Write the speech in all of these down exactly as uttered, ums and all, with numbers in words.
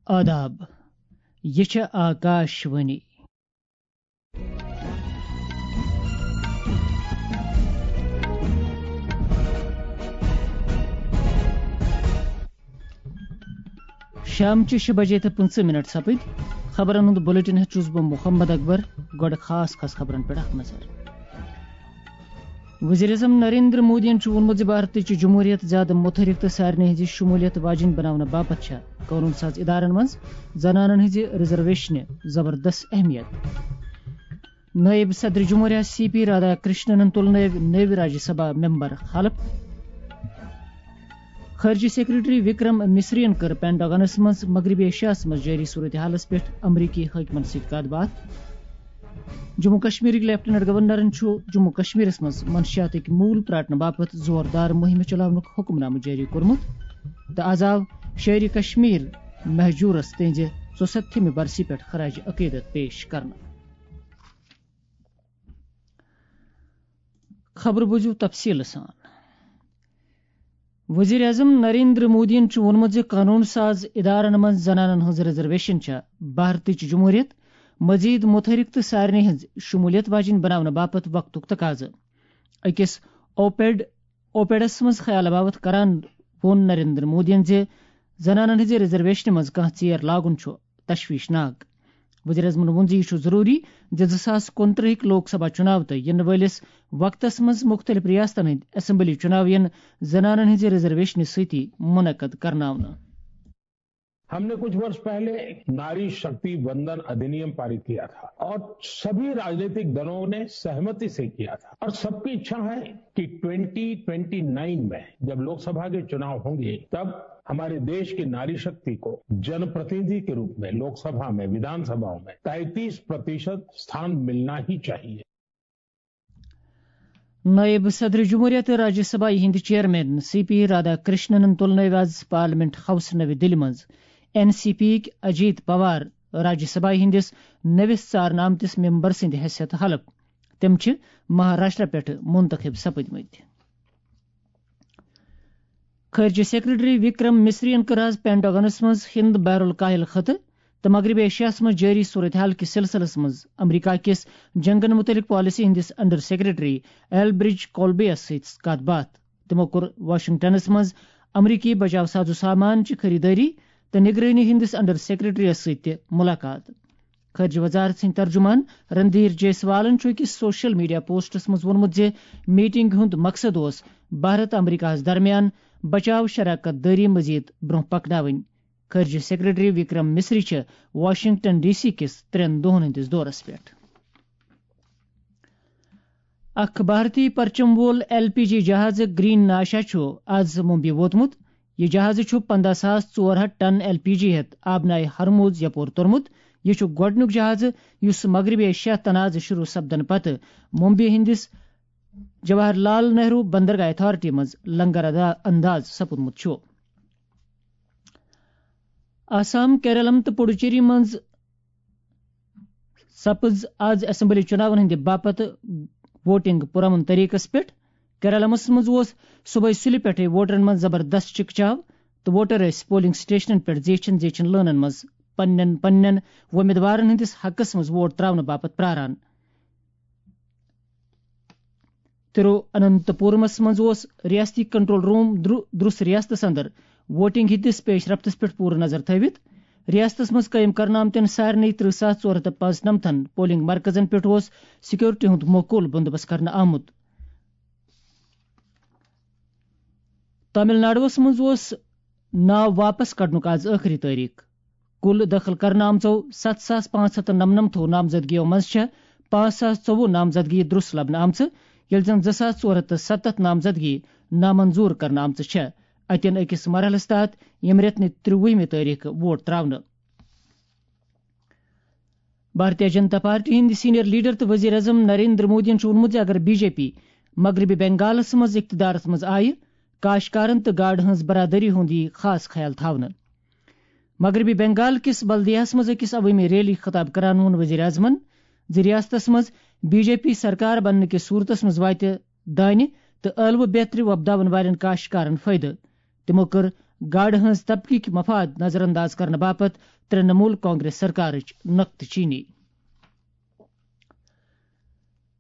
آداب، یہِ چھےٚ آکاش وانی۔ شامچہِ شےٚ بجے تہٕ پٕنٛژٕہ منٹ سپٕدۍ۔ خبرن ہُنٛد بلیٹن ہیٚتھ چھُس بہٕ محمد اکبر۔ گۄڈٕ خاص خاص خبرن پٮ۪ٹھ اکھ نظر۔ وزیر اعظم نریندر مودیَن چھُ ووٚنمُت زِ بھارتٕچ جمہوٗریت زیادٕ متحرک تہٕ سارنٕے ہٕنٛزِ شموٗلیت واجیٚنۍ بناونہٕ باپتھ چھےٚ قونوٗن ساز ادارن منٛز زنانن ہٕنٛزِ ریزرویشنہِ زبردست اہمیت۔ نٲیِب صدر جمہوریہ سی پی رادھا کرشنن تُل نٲوۍ نٔوۍ راجیہ سبھا ممبر حلف۔ خارجہ سیکرٹری وکرم مصرین کٔر پینٹاگنس منٛز مغربی ایشیاہس منٛز جٲری صورتحالس پٮ۪ٹھ امریکی حٲکمن سۭتۍ کتھ باتھ۔ جموں کشمیرٕکۍ لیفٹیننٹ گورنرن چھُ جموں کشمیرس منٛز منشیاتٕکۍ موٗل پراٹنہٕ باپتھ زوردار مُہِمہِ چلاونُک حکمنامہٕ جٲری کوٚرمُت تہٕ از آو شٲعرِ کشمیر مہجورس تہنٛزِ ژُسَتتھمہِ برسی پٮ۪ٹھ خراج عقیدت پیش کرنہٕ۔ خبر بوٗزِو تفصیٖلہٕ سان۔ وزیر اعظم نریندر مودیَن چھُ ووٚنمُت زِ قونوٗن ساز ادارن منٛز زنانن ہٕنٛز ریزرویشن چھےٚ بھارتٕچ جمہوٗریت مزید متحرک تہٕ سارنٕے ہٕنٛز شمولیت واجیٚنۍ بناونہٕ باپتھ وقتُک تقاضہٕ۔ أکِس اوپیڈ اوپیڈس منٛز خیال باوت کران ووٚن نریندر مودیَن زِ زنانن ہٕنٛزِ ریزرویشنہِ منٛز کانٛہہ ژیر لاگُن چھُ تشویشناک۔ وزیر اعظمن ووٚن زِ یہِ چھُ ضروٗری زِ زٕ ساس کُنترٕہٕکۍ لوک سبھا چُناو تہٕ یِنہٕ وٲلِس وقتس منٛز مُختٔلِف ریاستن ہٕنٛدۍ اسمبلی چُناو یِن زنانن ہٕنٛزِ ریزرویشنہِ سۭتی منعقد کرناونہٕ۔ हमने कुछ वर्ष पहले नारी शक्ति वंदन अधिनियम पारित किया था और सभी राजनीतिक दलों ने सहमति से किया था और सबकी इच्छा है कि ट्वेंटी ट्वेंटी नाइन में जब लोकसभा के चुनाव होंगे, तब हमारे देश की नारी शक्ति को जनप्रतिनिधि के रूप में लोकसभा में, विधानसभाओं में तैंतीस प्रतिशत स्थान मिलना ही चाहिए। نائب صدر جمہوریہ تہٕ راجیہ سبھا ہٕنٛدۍ چیئرمین سی پی رادھا کرشننن تُل نٲوۍ آز پارلیمنٹ ہاؤس نٔوِ دِلہِ منٛز این سی پی یِکۍ اجیت پوار راجیہ سبھا ہٕنٛدِس نٔوِس ژارنہٕ آمتِس ممبر سٕنٛدِ حیثیت حلف۔ تِم چھِ مہاراشٹرا پٮ۪ٹھٕ منتخب سپٕدمٕتۍ۔ خارجہ سیکرٹری وکرم مصرین کٔر آز پینٹاگنس منٛز ہند بحر الکاہل خطہٕ تہٕ مغربی ایشیاہس منٛز جٲری صورتحال کِس سلسلس منٛز امریکہ کِس جنگن متعلق پالیسی ہٕنٛدِس انڈر سیکرٹری ایل برج کولبیَس سۭتۍ کتھ باتھ۔ تِمو کوٚر واشنگٹنس منٛز امریکی بچاو ساز و سامان چہِ خریدٲری تہٕ نگرٲنی ہٕنٛدِس انڈر سیکرٹریَس سۭتۍ تہِ ملاقات۔ خارجہ وزارت سٕنٛدۍ ترجمان رندھیر جیسوالن چھُ أکِس سوشل میڈیا پوسٹس منٛز ووٚنمُت زِ میٹنگ ہُنٛد مقصد اوس بھارت امریکاہَس درمیان بچاو شراکت دٲری مزید برونٛہہ پکناوٕنۍ۔ خارجہ سیکرٹری وکرم مصری چھِ واشنگٹن ڈی سی کِس ترٛٮ۪ن دۄہَن ہٕنٛدِس دورس پٮ۪ٹھ۔ اکھ بھارتی پرچم وول ایل پی جی جہاز گرین ناشا چھُ آز ممبئی ووتمُت۔ یہِ جہاز چھُ پنٛداہ ساس ژور ہتھ ٹن ایل پی جی ہٮ۪تھ آبنائے ہرموز یپور توٚرمُت۔ یہِ چھُ گۄڈٕنیُک جہاز یُس مغربی ایشیا تنازٕ شروع سپدنہٕ پتہٕ ممبئی ہٕنٛدِس جواہر لال نہرو بندرگاہ اتھارٹی منٛز لنگر ادا-، انداز سپُدمُت چھُ۔ آسام، کیرالم تہٕ پڈوچیری منٛز سپٕز آز اسمبلی چُناون ہٕنٛدِ باپتھ ووٹنگ پرامن طریقس پٮ۪ٹھ۔ کیرالمس منٛز اوس صبحٲے سُلہِ پٮ۪ٹھٕے ووٹرن منٛز زبردست چکچاو تہٕ ووٹر ٲسۍ پولنگ سٹیشنن پٮ۪ٹھ زیچھن زیچھن لٲنن منٛز پننٮ۪ن پننٮ۪ن وۄمیدوارن ہٕنٛدِس حقس منٛز ووٹ تراونہٕ باپتھ پراران۔ تِرواننتپورمس منٛز اوس ریاستی کنٹرول روم درُ-، درُس ریاستس اندر ووٹنگ ہٕنٛدِس پیش رفتس پٮ۪ٹھ پوٗرٕ نظر تھٲوِتھ۔ ریاستس منٛز قٲیِم کرنہٕ آمتٮ۪ن سارنٕے ترٕہ ساس ژور ہتھ تہٕ پانٛژنمتھن پولنگ مرکزن پٮ۪ٹھ اوس سیکورٹی ہُنٛد مُکمل بندوبست کرنہٕ آمُت۔ تامل ناڈوَس منٛز اوس ناو واپس کڑنُک آز ٲخری تٲریخ۔ کُل دٲخل کرنہٕ آمژو ستھ ساس پانٛژھ ہتھ تہٕ نَمنَمتھو نامزدگیو منٛز چھےٚ پانٛژھ ساس ژوٚوُہ نامزدگی درُس لبنہٕ آمژٕ، ییٚلہِ زن زٕ ساس ژور ہتھ تہٕ ستتھ نامزدگی نامنظور کرنہٕ آمژٕ چھےٚ۔ اتٮ۪ن أکِس مرحلس تحت ییٚمہِ رٮ۪تہٕ نہِ ترٛوُہمہِ تٲریخہٕ ووٹ تراونہٕ۔ بھارتیہ جنتا پارٹی ہٕنٛدۍ سینئر لیڈر تہٕ وزیر اعظم نریندر مودیَن چھُ ووٚنمُت زِ اگر بی جے پی مغربی بنگالس منٛز اقتدارس منٛز آیہِ، کاشتکارن تہٕ گاڈٕ ہٕنٛز برادری ہُنٛد یِیہِ خاص خیال تھاونہٕ۔ مغربی بنگال کِس بلدیہس منٛز أکِس عوٲمی ریلی خطاب کران ووٚن وزیر اعظمن زِ ریاستس منٛز بی جے پی سرکار بننہٕ کِس صورتس منٛز واتہِ دانہِ تہٕ ٲلوٕ بیترِ وۄپداون والٮ۪ن کاشتکارن فٲیدٕ۔ تِمو کٔر گاڑِ ہٕنٛز طبقٕکۍ مفاد نظر انداز کرنہٕ باپتھ ترٛنمول کانگریس سرکارٕچ نقطہٕ چینی۔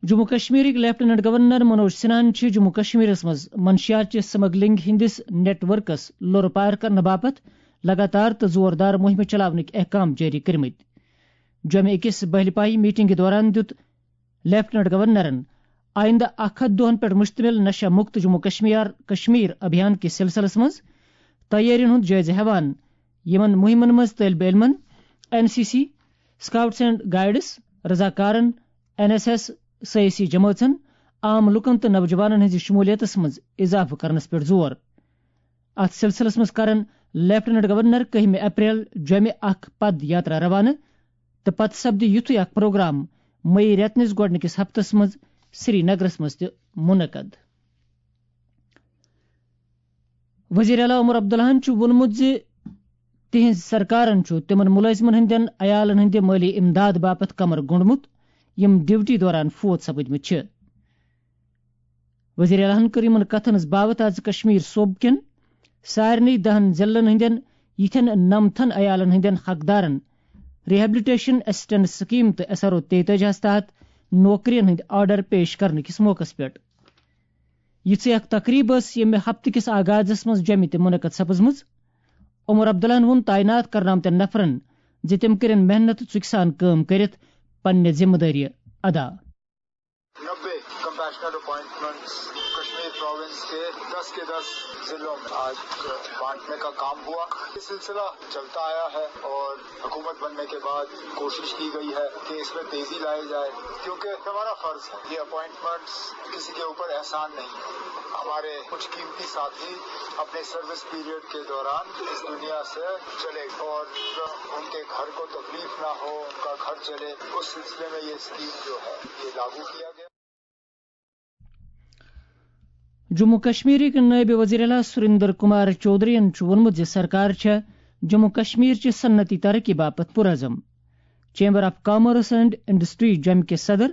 جموں کشمیرٕکۍ لیفٹیننٹ گورنر منوج سنہاہن چھِ جموں کشمیرس منٛز منشیات چہِ سمگلنگ ہٕنٛدِس نیٹ ورکس لۄرٕ پار کرنہٕ باپتھ لگاتار تہٕ زوردار مُہِمہٕ چلاونٕکۍ احکام جٲری کٔرمٕتۍ۔ جوٚمہِ أکِس بہلہِ پایہِ میٹنگہِ دوران دیُت لیفٹیننٹ گورنرن آئندٕ اکھ ہتھ دۄہن پٮ۪ٹھ مشتمل نشہ مکت جموں کشمیر، کشمیر ابھیان کِس سلسلس منٛز تیٲرین ہُنٛد جٲیزٕ ہٮ۪وان، یِمن مُہِمن منٛز طٲلبہِ علمن، N C C, scouts and guides, رضاکارن، این ایس ایس، سیٲسی جمٲژن، عام لوٗکن تہٕ نوجوانن ہٕنٛزِ شمولیتس منٛز اضافہٕ کرنس پٮ۪ٹھ زور۔ اتھ سلسلس منٛز کرن لیفٹیننٹ گورنر کٔہمہِ اپریل جوٚمہِ اکھ پد یاترا روانہٕ تہٕ پتہٕ سپدِ یُتھُے اکھ پروگرام مئی رٮ۪تہٕ نِس گۄڈٕنِکِس ہفتس منٛز سری نگرس منٛز تہِ منعقد۔ وزیر اعلیٰ عمر عبداللہن چھُ ووٚنمُت زِ تِہنٛز سرکارن چھُ تِمن مُلٲزمن ہٕنٛدٮ۪ن عیالن ہٕنٛدِ مٲلی امداد باپتھ کمر گوٚنڈمُت، یِم ڈیوٹی دوران فوت سپٕدمٕتۍ چھِ۔ وزیر اعلیٰ ہن کٔر یِمن کتھن ہٕنٛز باوتھ آز کشمیر صوبہٕ کٮ۪ن سارنٕے دہن ضلعن ہٕنٛدٮ۪ن یِتھٮ۪ن نمتھن عیالن ہٕنٛدٮ۪ن حقدارن ریہیبلیٹیشن اسسٹنس سکیم تہٕ ایس آر او تیتٲجی ہس تحت نوکرین ہٕنٛدۍ آرڈر پیش کرنہٕ کِس موقعس پٮ۪ٹھ۔ یِژھٕے اکھ تقریب ٲس ییٚمہِ ہفتہٕ کِس آغازس منٛز جوٚمہِ تہِ منعقد سپٕزمٕژ۔ عمر عبداللہن ووٚن تعینات کرنہٕ آمتٮ۪ن نفرن زِ تِم کٔرِن محنت ژُکۍ سان کٲم کٔرِتھ پننہِ ذمہٕ دٲری ادا۔ نبے کمپیشنل اپوائنٹمنٹس کشمیر پروونس کے دس کے دس ضلعوں میں آج بانٹنے کا کام ہوا۔ یہ سلسلہ چلتا آیا ہے اور حکومت بننے کے بعد کوشش کی گئی ہے کہ اس میں تیزی لائی جائے، کیونکہ ہمارا فرض ہے۔ یہ اپوائنٹمنٹس کسی کے اوپر احسان نہیں ہے۔ ہمارے کچھ قیمتی ساتھی اپنے سروس پیریڈ کے دوران اس دنیا سے چلے اور ان کے گھر کو تکلیف نہ ہو، ان کا گھر چلے، اس سلسلے میں یہ اسکیم جو ہے، یہ لاگو کیا گیا۔ جموں کشمیرٕکۍ نٲیِب وزیر اعلیٰ سریندر کمار چودھرین چھُ ووٚنمُت زِ سرکار چھےٚ جموں کشمیر چہِ صنعتی ترقی باپتھ پُرعزم۔ Chamber of commerce and industry جوٚمہِ کِس صدر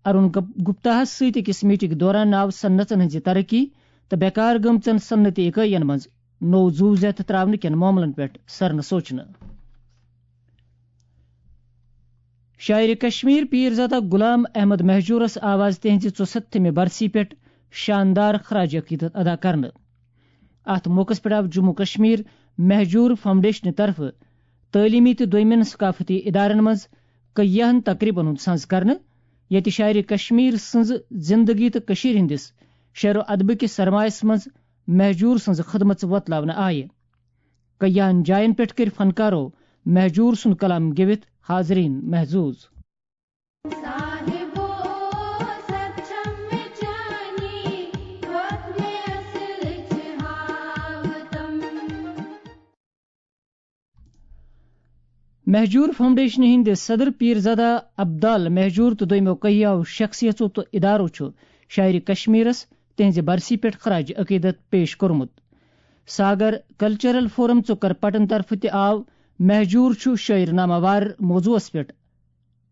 ارون گپ-، گپتاہس سۭتۍ أکِس میٹنگ دوران آو صنعتن ہٕنٛزِ ترقی تہٕ بیکار گٔمژن صنعتی اکٲین منٛز نوٚو زُو زیتھ تراونہٕ کٮ۪ن معاملن پٮ۪ٹھ سرنہٕ سوچنہٕ۔ شاعر کشمیر پیرزادہ غلام احمد مہجورس آو آز تہنٛزِ ژُسَتھمہِ برسی پٮ۪ٹھ شاندار خراج عقیدت ادا کرنہٕ۔ اتھ موقعس پٮ۪ٹھ آو جموں کشمیر مہجور فاؤنڈیشنہٕ طرفہٕ تعلیمی تہٕ دویمٮ۪ن ثقافتی ادارن منٛز کیاہن تقریبن ہُنٛد سنز کرنہٕ، ییٚتہِ شاعر کشمیر سٕنٛز زندگی تہٕ کٔشیٖرِ ہٕنٛدِس شعر و ادبہٕ کِس سرمایس منٛز مہجور سٕنٛز خدمژ وۄتلاونہٕ آیہِ۔ کیاہن جاین پٮ۪ٹھ کٔرۍ فنکارو مہجور سُنٛد کلام گیٚوِتھ حاضرین محظوظ۔ مہجور فاؤنڈیشن ہٕنٛدِ صدر پیرزادہ عبدال مہجور تہٕ دوٚیمو کہیاو شخصیژو تہٕ ادارو چھُ شاعر کشمیرس تہنٛزِ برسی پٮ۪ٹھ خراج عقیدت پیش کوٚرمُت۔ ساگر کلچرل فورم ژُکر پٹن طرفہٕ تہِ آو مہجور چھُ شٲعر ناماوار موضوعس پٮ۪ٹھ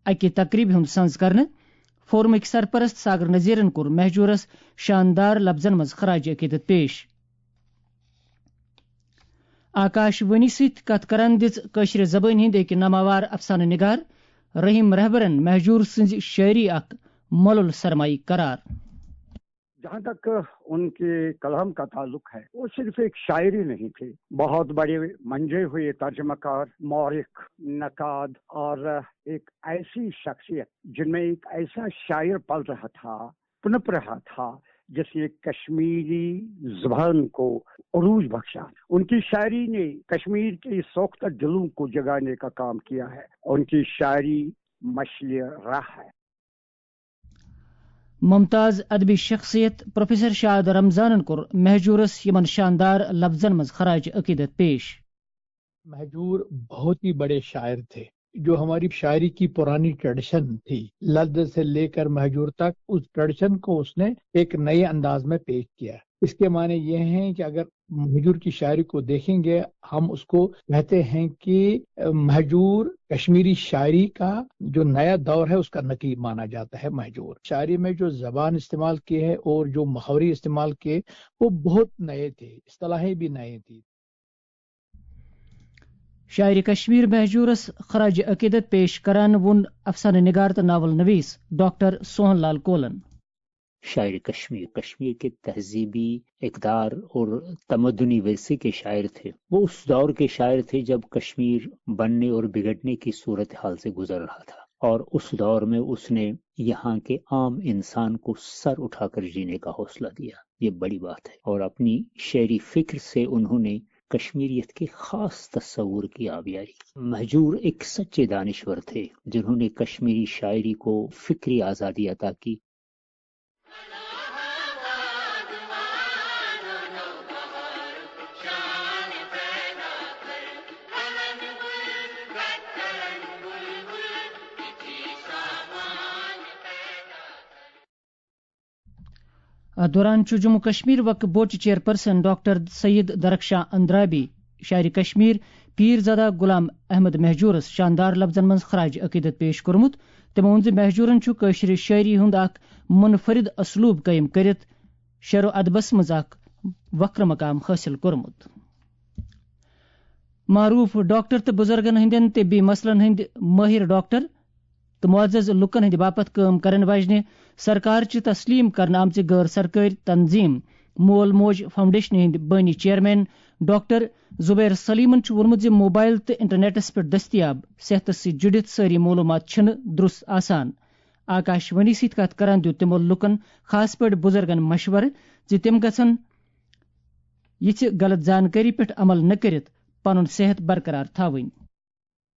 اکہِ تقریبہِ ہُنٛد سنز کرنہٕ۔ فورمٕکۍ سرپرست ساگر نذیرن کوٚر مہجورس شاندار لفظن منٛز خراج عقیدت پیش۔ آکاش وانی سۭتۍ کتھ کران دِژ کٲشرِ زبٲنۍ ہٕنٛدۍ أکۍ ناماوار افسانہٕ نگار رحیم رہبرن مہجور سٕنٛزِ شٲعری اکھ مۄلُل سرمایہِ قرار۔ جہاں تک ان کے کلام کا تعلق ہے، وہ صرف ایک شاعر ہی نہیں تھے، بہت بڑے منجے ہوئے ترجمہ کار، مورخ، نقاد اور ایک ایسی شخصیت جن میں ایک ایسا شاعر پل رہا تھا، پنپ رہا تھا، جس نے کشمیری زبان کو عروج بخشا۔ ان کی شاعری نے کشمیر کے سوختہ دلوں کو جگانے کا کام کیا ہے۔ ان کی شاعری مشعل راہ ہے۔ ممتاز ادبی شخصیت پروفیسر شاد رمضانن کوٚر مہجورس یمن شاندار لفظن منٛز خراج عقیدت پیش۔ مہجور بہت ہی بڑے شاعر تھے، جو ہماری شاعری کی پرانی ٹریڈیشن تھی، لد سے لے کر مہجور تک، اس ٹریڈیشن کو اس نے ایک نئے انداز میں پیش کیا۔ اس کے معنی یہ ہیں کہ اگر مہجور کی شاعری کو دیکھیں گے، ہم اس کو کہتے ہیں کہ مہجور کشمیری شاعری کا جو نیا دور ہے، اس کا نقیب مانا جاتا ہے مہجور۔ شاعری میں جو زبان استعمال کی ہے اور جو محاورے استعمال کیے، وہ بہت نئے تھے، اصطلاحیں بھی نئے تھیں۔ شاعر کشمیر مہجورس خراج عقیدت پیش کران ووٚن افسانہ نگار تہٕ ناول نویس ڈاکٹر سوہن لال کولن۔ شاعر کشمیر کشمیر کے تہذیبی اقدار اور تمدنی ورثے کے شاعر تھے۔ وہ اس دور کے شاعر تھے جب کشمیر بننے اور بگڑنے کی صورتحال سے گزر رہا تھا، اور اس دور میں اس نے یہاں کے عام انسان کو سر اٹھا کر جینے کا حوصلہ دیا۔ یہ بڑی بات ہے۔ اور اپنی شعری فکر سے انہوں نے کشمیریت کے خاص تصور کی آبیاری کی۔ مہجور ایک سچے دانشور تھے، جنہوں نے کشمیری شاعری کو فکری آزادی عطا کی۔ اتھ دوران چھُ جموں کشمیر وقف بورڈ چیئرپرسن ڈاکٹر سید درخشاں اندرابی، شاعر کشمیر پیرزادہ غلام احمد مہجورس شاندار لفظن منٛز خراج عقیدت پیش کوٚرمُت۔ تٔمۍ ووٚن زِ مہجورن چھُ کٲشرِ شٲعری ہُنٛد اکھ منفرد اسلوب قٲیِم کٔرِتھ شعر و ادبس منٛز اکھ وقر مقام حٲصِل کوٚرمُت۔ معروف ڈاکٹر تہٕ بزرگن ہٕنٛدٮ۪ن طبی مسلن ہٕنٛدۍ مٲہِر ڈاکٹر تہٕ معزز لوٗکن ہٕنٛدِ باپتھ کٲم کرن واجنہِ سرکار چہِ تسلیٖم کرنہٕ آمژِ غٲر سرکٲرۍ تنظیٖم مول موج فاؤنڈیشنہِ ہٕنٛدۍ بٲنی چیئرمین ڈاکٹر زبیر سلیمن چھُ ووٚنمُت زِ موبائل تہٕ انٹرنیٹس پٮ۪ٹھ دٔستیاب صحتس سۭتۍ جُڑِتھ سٲری معلوٗمات چھِنہٕ درست آسان۔ آکاش وانی سۭتۍ کتھ کران دیُت تِمو لوٗکن، خاص پٲٹھۍ بزرگن، مشورٕ زِ تِم گژھن یِژھِ غلط زانکٲری پٮ۪ٹھ عمل نہٕ کٔرِتھ پنُن صحت برقرار تھاوٕنۍ۔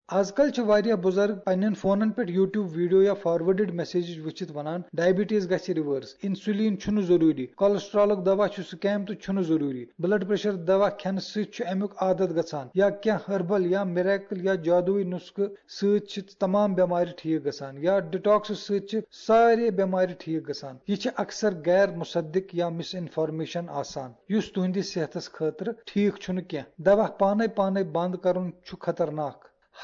آز کل چھِ واریاہ بُزرگ پننٮ۪ن فونن پٮ۪ٹھ YouTube ویڈیو یا فارورڈڈ میسیجز وٕچھِتھ ونان، ڈائبٹیز گژھِ ریورس، انسولین چھُنہٕ ضروٗری، کولیسٹرالُک دوا چھُ سکیم تہٕ چھُنہٕ ضروٗری، بلڈ پریشر دوا کھٮ۪نہٕ سۭتۍ چھُ امیُک عادت گژھان، یا کینٛہہ ہربل یا میریکل یا جادوئی نسخہٕ سۭتۍ چھِ تمام بٮ۪مارِ ٹھیک گژھان، یا ڈیٹاکس سۭتۍ چھِ سارے بٮ۪مارِ ٹھیک گژھان۔ یہِ چھِ اکثر غیر مصدق یا مس انفارمیشن آسان، یُس تُہنٛدِس صحتس خٲطرٕ ٹھیک چھُنہٕ کینٛہہ۔ دوا پانے پانے بند کرُن چھُ خطرناک۔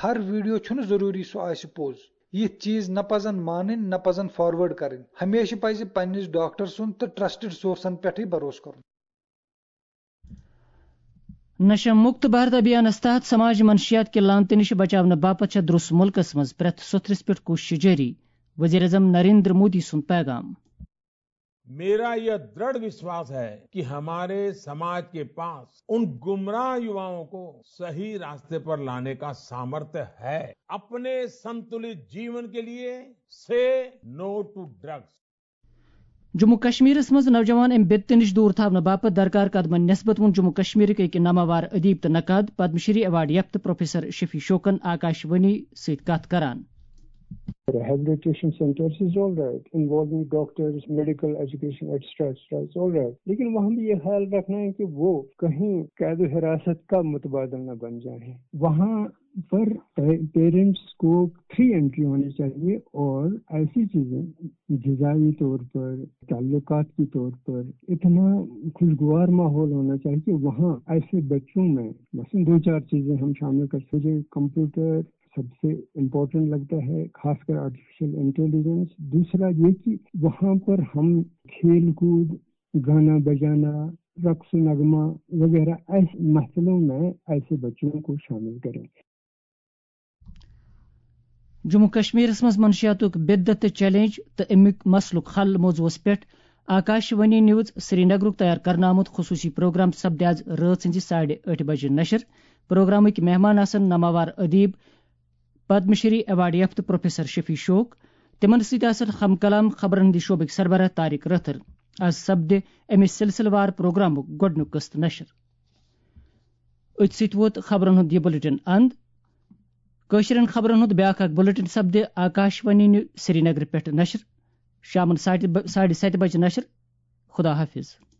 ہر ویڈیو چھُنہٕ ضروٗری سُہ آسہِ پوٚز۔ یِتھۍ چیز نہ پزن مانٕنۍ، نہ پزن فارورڈ کرٕنۍ۔ ہمیشہٕ پزِ پننِس ڈاکٹر سُنٛد تہٕ ٹرسٹڈ سورسن پٮ۪ٹھٕے بھروسہٕ کرُن۔ نشہ مکت بھارت ابھیانس تحت سماج منشیات کہِ لعنتہٕ نِش بچاونہٕ باپتھ چھےٚ درٛوس مُلکس منٛز پرٛٮ۪تھ سوٚتھرِس پٮ۪ٹھ کوٗششہٕ جٲری، وزیر اعظم نریندر مودی سُنٛد پیغام۔ میرا یہ دڑھ وشواس ہے کہ ہمارے سماج کے پاس ان گمراہ یواؤں کو صحیح راستے پر لانے کا سامرتھ ہے۔ اپنے سنتلت جیون کے لیے سے نو ٹو ڈرگس۔ جموں کشمیرس منٛز نوجوان امہِ بدتہٕ نِش دوٗر تھاونہٕ باپتھ درکار قدمن نسبت ووٚن جموں کشمیرٕکۍ أکۍ ناماوار ادیب تہٕ نقاد، پدم شری ایوارڈ یافتہٕ پروفیسر شفیع شوقن آکاش وانی سۭتۍ کتھ کران۔ Rehabilitation centers is all right, involving doctors, medical education, et cetera, et cetera, is all right. लेकिन वहाँ भी ये ख्याल रखना है कि वो कहीं कैद हिरासत का मुतबादल न बन जाए। वहाँ पर पेरेंट्स को फ्री एंट्री होनी चाहिए और ऐसी चीजें, गिजाई तौर पर, ताल्लुकात के तौर पर इतना खुशगवार माहौल होना चाहिए कि वहाँ ऐसे बच्चों में, मसलन, दो चार चीजें हम शामिल कर सकते हैं। कंप्यूटर सबसे इम्पोर्टेंट लगता है, खासकर आर्टिफिशियल इंटेलिजेंस। दूसरा ये कि वहाँ पर हम खेल कूद, गाना बजाना, रक्स नगमा वगैरह ऐसे महफिलों में ऐसे बच्चों को शामिल करें। جموں کشمیرس منٛز منشیاتُک بدعت تہٕ چیلنج تہٕ اَمیُک مسلُک حل موضوعس پٮ۪ٹھ آکاش وانی نیوز سری نگرُک تیار کرنہٕ آمُت خصوٗصی پروگرام سپدِ آز رٲژ ہٕنٛزِ ساڑِ ٲٹھِ بجہِ نشر۔ پروگرامٕکۍ مہمان آسن ناماوار ادیب، پدم شری ایوارڈ یافتہٕ پروفیسر شفیع شوق۔ تِمن سۭتۍ آسن ہم کلام خبرن ہٕنٛدِ شعبٕکۍ سربراہ طارق رٲتھر۔ آز سپدِ اَمہِ سلسلہٕ وار پروگرامُک گۄڈٕنیُک قسط نشر۔ أتھۍ سۭتۍ ووت خبرن ہُنٛد یہِ بلیٹن اند۔ کٲشرٮ۪ن خبرن ہُنٛد بیٛاکھ اکھ بلیٹن سپدِ آکاش وانی نِو-، سری نگرٕ پٮ۪ٹھ نشر۔ شامن ساڑِ ب-، ساڑِ ستہِ بجہِ نشر۔ خدا حافظ۔